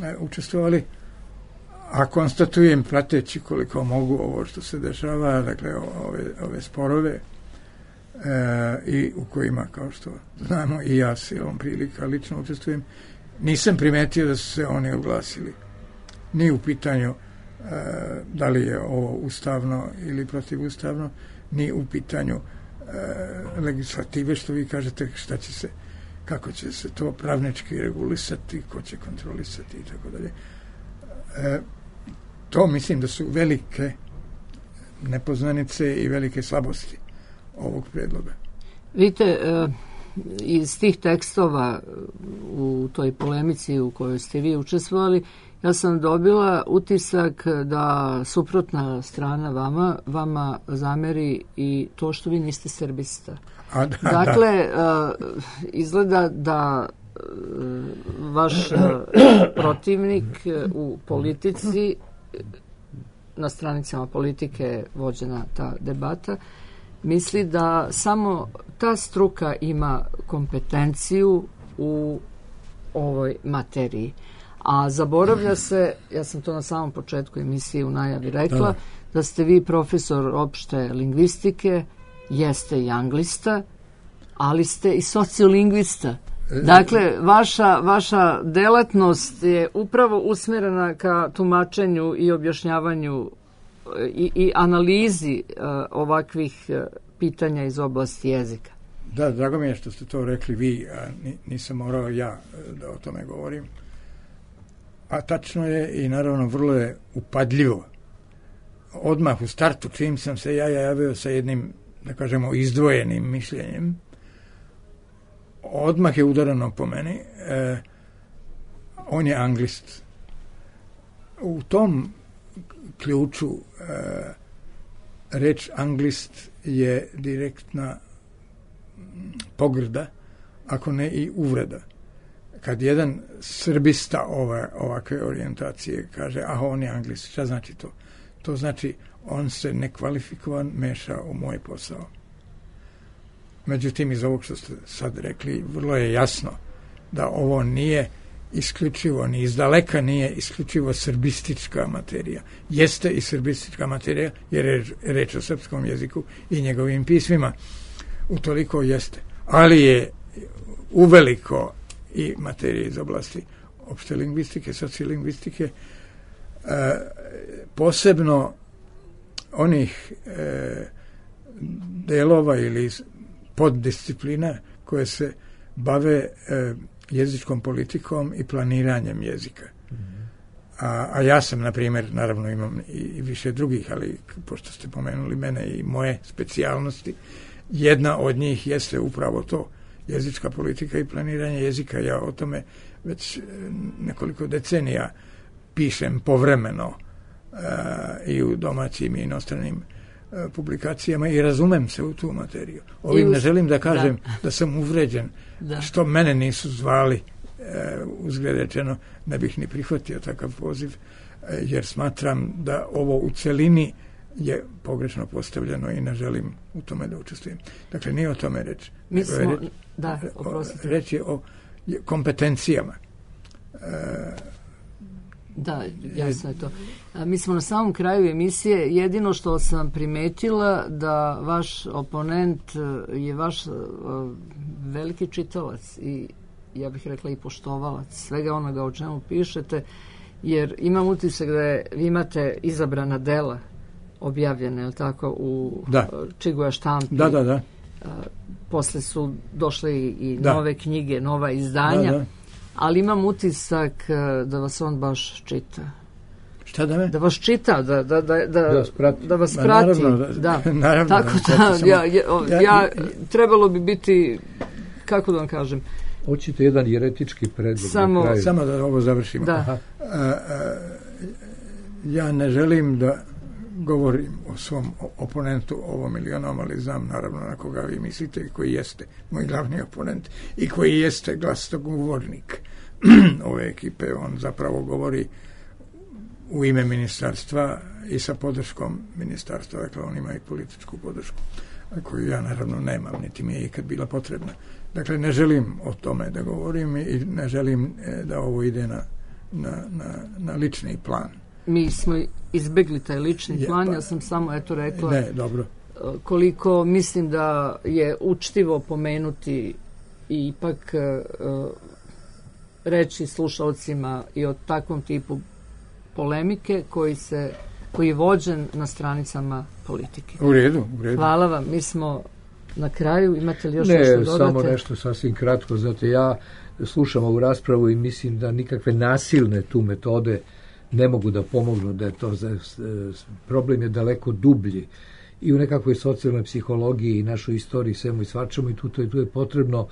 S4: e, učestvovali, a konstatujem prateći koliko mogu ovo što se dešava, dakle ove, ove sporove e, i u kojima, kao što znamo, i ja silom prilika lično učestvujem, nisam primetio da su se oni oglasili. Ni u pitanju e, da li je ovo ustavno ili protivustavno, ni u pitanju e, legislative, što vi kažete, šta će se, kako će se to pravnički regulisati, ko će kontrolisati i tako dalje. E, to mislim da su velike nepoznanice i velike slabosti ovog predloga.
S3: Vidite, e, iz tih tekstova u toj polemici u kojoj ste vi učestvovali, ja sam dobila utisak da suprotna strana vama, vama zameri i to što vi niste srbista.
S4: A, da,
S3: dakle,
S4: da.
S3: Uh, izgleda da uh, vaš uh, protivnik uh, u politici, na stranicama politike je vođena ta debata, misli da samo ta struka ima kompetenciju u ovoj materiji. A zaboravlja se, ja sam to na samom početku emisije u najavi rekla, da, da ste vi profesor opšte lingvistike, jeste i anglista, ali ste i sociolingvista. Dakle, vaša, vaša delatnost je upravo usmjerena ka tumačenju i objašnjavanju i, i analizi uh, ovakvih uh, pitanja iz oblasti jezika.
S4: Da, drago mi je što ste to rekli vi, a nisam morao ja da o tome govorim. A tačno je i naravno vrlo je upadljivo. Odmah u startu, čim sam se ja javio sa jednim, da kažemo, izdvojenim mišljenjem, odmah je udarano po meni. E, on je anglist. U tom ključu e, reč anglist je direktna pogrda, ako ne i uvreda. Kad jedan srbista ove, ovakve orijentacije kaže, a on je anglist, šta znači to? To znači on se nekvalifikovan meša u moj posao. Međutim, iz ovog što ste sad rekli, vrlo je jasno da ovo nije isključivo, ni izdaleka nije isključivo srbistička materija. Jeste i srbistička materija, jer je reč o srpskom jeziku i njegovim pismima. Utoliko jeste. Ali je uveliko i materije iz oblasti opšte lingvistike, sociolingvistike, e, posebno onih e, delova ili poddisciplina koje se bave e, jezičkom politikom i planiranjem jezika. Mm-hmm. A, a ja sam, na primjer, naravno imam i, i više drugih, ali pošto ste pomenuli mene i moje specijalnosti, jedna od njih jeste upravo to, jezička politika i planiranje jezika. Ja o tome već nekoliko decenija pišem povremeno uh, i u domaćim i inostranim uh, publikacijama i razumem se u tu materiju. Ovim uz... ne želim da kažem da, da sam uvređen, da. Što mene nisu zvali, uh, uzgled rečeno, ne bih ni prihvatio takav poziv, uh, jer smatram da ovo u celini je pogrešno postavljeno i ne želim u tome da učestvujem. Dakle, nije o tome reč.
S3: Mi smo, reč, da, oprostite.
S4: Reč je o kompetencijama. E,
S3: da, jasno je to. A, mi smo na samom kraju emisije. Jedino što sam primetila da vaš oponent je vaš uh, veliki čitalac i ja bih rekla i poštovalac svega onoga o čemu pišete, jer imam utisak da je, vi imate izabrana dela objavljene, je li tako, u
S4: da.
S3: Čiguja štampi.
S4: Da, da, da.
S3: A, posle su došle i, i
S4: da.
S3: nove knjige, nova izdanja,
S4: da, da.
S3: ali imam utisak da vas on baš čita.
S4: Šta da me?
S3: Da vas čita, da, da, da, da,
S5: da vas prati.
S3: Da vas prati.
S4: Naravno,
S3: da.
S4: Naravno,
S3: tako da, da ja, ja, ja, ja, trebalo bi biti, kako da vam kažem,
S5: hoćete jedan jeretički predlog
S3: samo,
S5: na kraju.
S4: Samo da ovo završimo.
S3: Da.
S4: Aha. A, a, ja ne želim da govorim o svom oponentu ovom ili onom, ali znam naravno na koga vi mislite i koji jeste moj glavni oponent i koji jeste glasnogovornik ove ekipe. On zapravo govori u ime ministarstva i sa podrškom ministarstva, dakle on ima i političku podršku, koju ja naravno nemam, niti mi je ikad bila potrebna. Dakle, ne želim o tome da govorim i ne želim da ovo ide na, na, na, na lični plan.
S3: Mi smo izbegli taj lični
S4: je,
S3: plan,
S4: pa,
S3: ja sam samo eto rekla
S4: ne, dobro.
S3: koliko mislim da je učtivo pomenuti i ipak uh, reći slušalcima i o takvom tipu polemike koji se koji je vođen na stranicama politike.
S4: U redu, u redu.
S3: Hvala vam, mi smo na kraju, imate li još
S5: ne,
S3: nešto dodate?
S5: Ne, samo nešto sasvim kratko, znate, ja slušam ovu raspravu i mislim da nikakve nasilne tu metode ne mogu da pomognu, da je to problem je daleko dublji i u nekakvoj socijalnoj psihologiji i našoj istoriji svemu i svačemu i tu, tu, tu je potrebno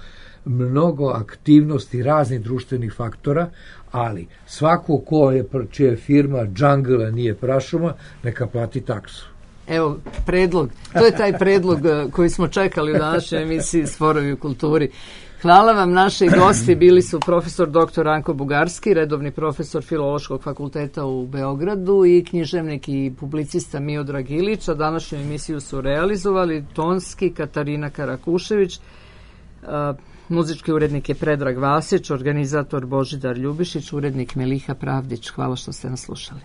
S5: mnogo aktivnosti raznih društvenih faktora, ali svako ko je, čija je firma džangla nije prašuma, neka plati taksu.
S3: Evo, predlog. To je taj predlog koji smo čekali u današnjoj emisiji Sporovi u kulturi. Hvala vam, naši gosti bili su profesor doktor Ranko Bugarski, redovni profesor Filološkog fakulteta u Beogradu i književnik i publicista Miodrag Ilić, a današnju emisiju su realizovali tonski Katarina Karakušević, a, muzički urednik je Predrag Vasić, organizator Božidar Ljubišić, urednik Meliha Pravdić. Hvala što ste nas slušali.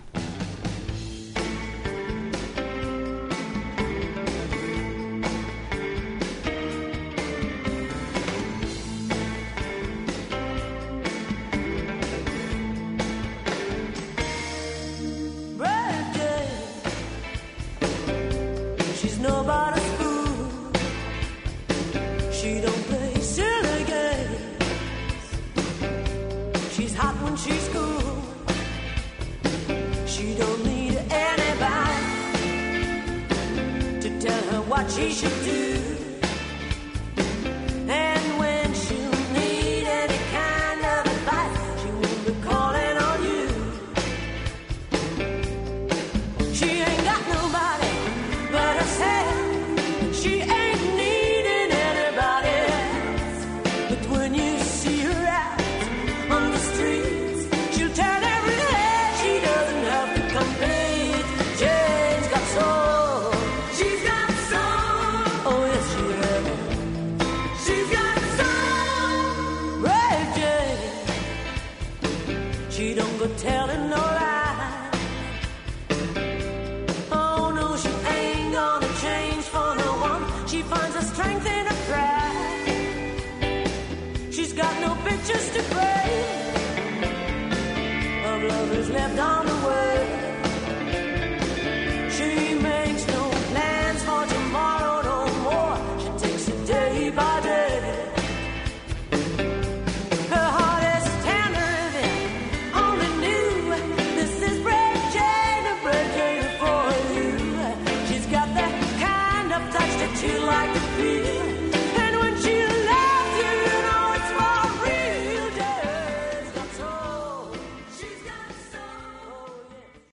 S8: What she should do.